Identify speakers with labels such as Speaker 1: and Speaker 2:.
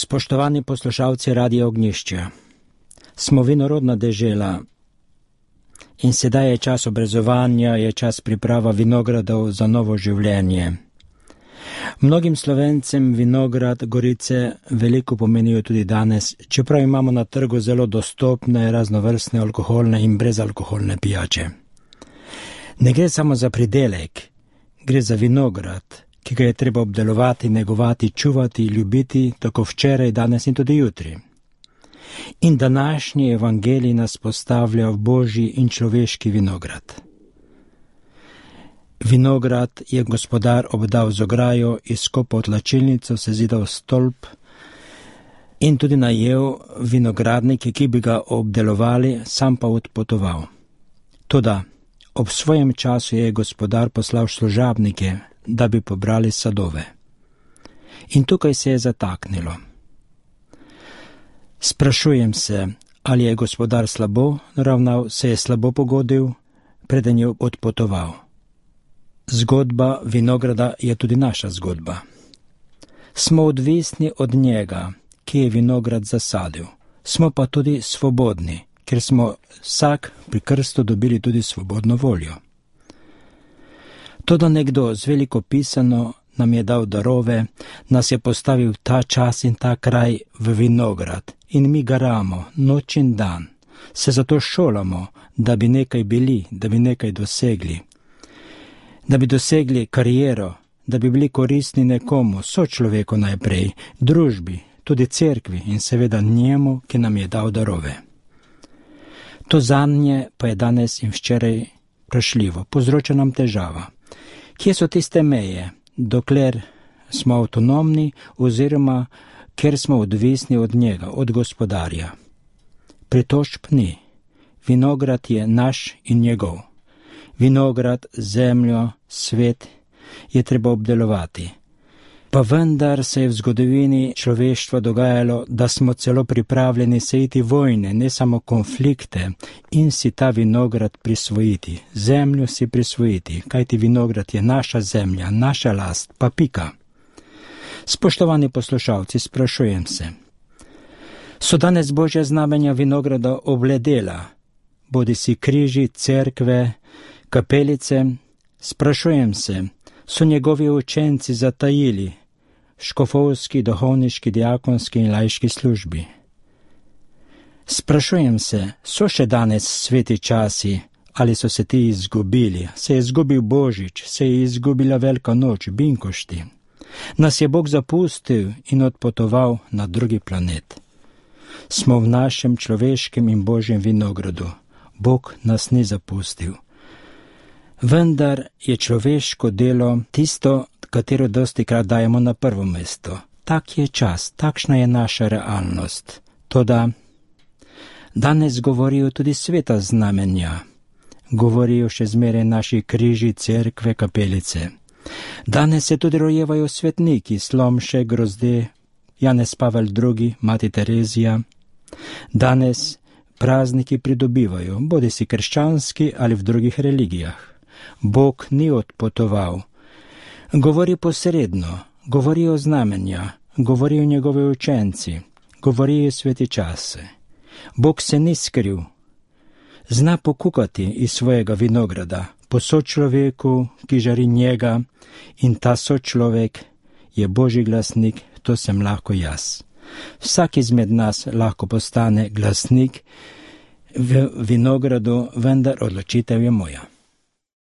Speaker 1: Spoštovani poslušalci Radia Ognjišče, smo vinorodna dežela in sedaj je čas obrezovanja, je čas priprava vinogradov za novo življenje. Mnogim Slovencem vinograd, gorice veliko pomenijo tudi danes, čeprav imamo na trgu zelo dostopne, raznovrstne alkoholne in brezalkoholne pijače. Ne gre samo za pridelek, gre za vinograd, ki ga je treba obdelovati, negovati, čuvati, ljubiti, tako včeraj, danes in tudi jutri. In današnji evangelij nas postavlja v božji in človeški vinograd. Vinograd je gospodar obdal z ograjo, izkopal tlačilnico, sezidal stolp in tudi najel vinogradnike, ki bi ga obdelovali, sam pa odpotoval. Toda ob svojem času je gospodar poslal služabnike, da bi pobrali sadove. In tukaj se je zataknilo. Sprašujem se, ali je gospodar slabo ravnal, se je slabo pogodil, preden je odpotoval. Zgodba vinograda je tudi naša zgodba. Smo odvisni od njega, ki je vinograd zasadil. Smo pa tudi svobodni, ker smo vsak pri krstu dobili tudi svobodno voljo. Toda nekdo z veliko pisano nam je dal darove, nas je postavil ta čas in ta kraj v vinograd in mi garamo noč in dan, se zato šolamo, da bi nekaj bili, da bi nekaj dosegli, da bi dosegli kariero, da bi bili koristni nekomu, sočloveku najprej, družbi, tudi cerkvi in seveda njemu, ki nam je dal darove. To zanje pa je danes in včeraj vprašljivo, povzroča nam težava. Kje so tiste meje, dokler smo avtonomni oziroma ker smo odvisni od njega, od gospodarja? Pritožb ni. Vinograd je naš in njegov. Vinograd, zemljo, svet je treba obdelovati. Pa vendar se je v zgodovini človeštva dogajalo, da smo celo pripravljeni sejiti vojne, ne samo konflikte, in si ta vinograd prisvojiti, zemljo si prisvojiti, kajti vinograd je naša zemlja, naša last, pa pika. Spoštovani poslušalci, sprašujem se, so danes božja znamenja vinograda obledela, bodisi križi, cerkve, kapelice? Sprašujem se, so njegovi učenci zatajili škofovski, duhovniški, diakonski in laiški službi? Sprašujem se, so še danes sveti časi ali so se ti izgubili? Se je izgubil Božič, se je izgubila Velika noč, binkošti? Nas je Bog zapustil in odpotoval na drugi planet. Smo v našem človeškem in božjem vinogradu. Bog nas ni zapustil. Vendar je človeško delo tisto, katero dostikrat dajemo na prvo mesto. Tak je čas, takšna je naša realnost. Toda danes govorijo tudi sveta znamenja. Govorijo še zmeraj naši križi, cerkve, kapelice. Danes se tudi rojevajo svetniki, Slomšek, Grozde, Janez Pavel II, Mati Terezija. Danes prazniki pridobivajo, bodisi krščanski ali v drugih religijah. Bog ni odpotoval. Govori posredno, govorijo znamenja, govorijo njegovi učenci, govorijo sveti čase. Bog se ni skril. Zna pokukati iz svojega vinograda po sočloveku, ki žari njega, in ta sočlovek je Božji glasnik, to sem lahko jaz. Vsak izmed nas lahko postane glasnik v vinogradu, vendar odločitev je moja.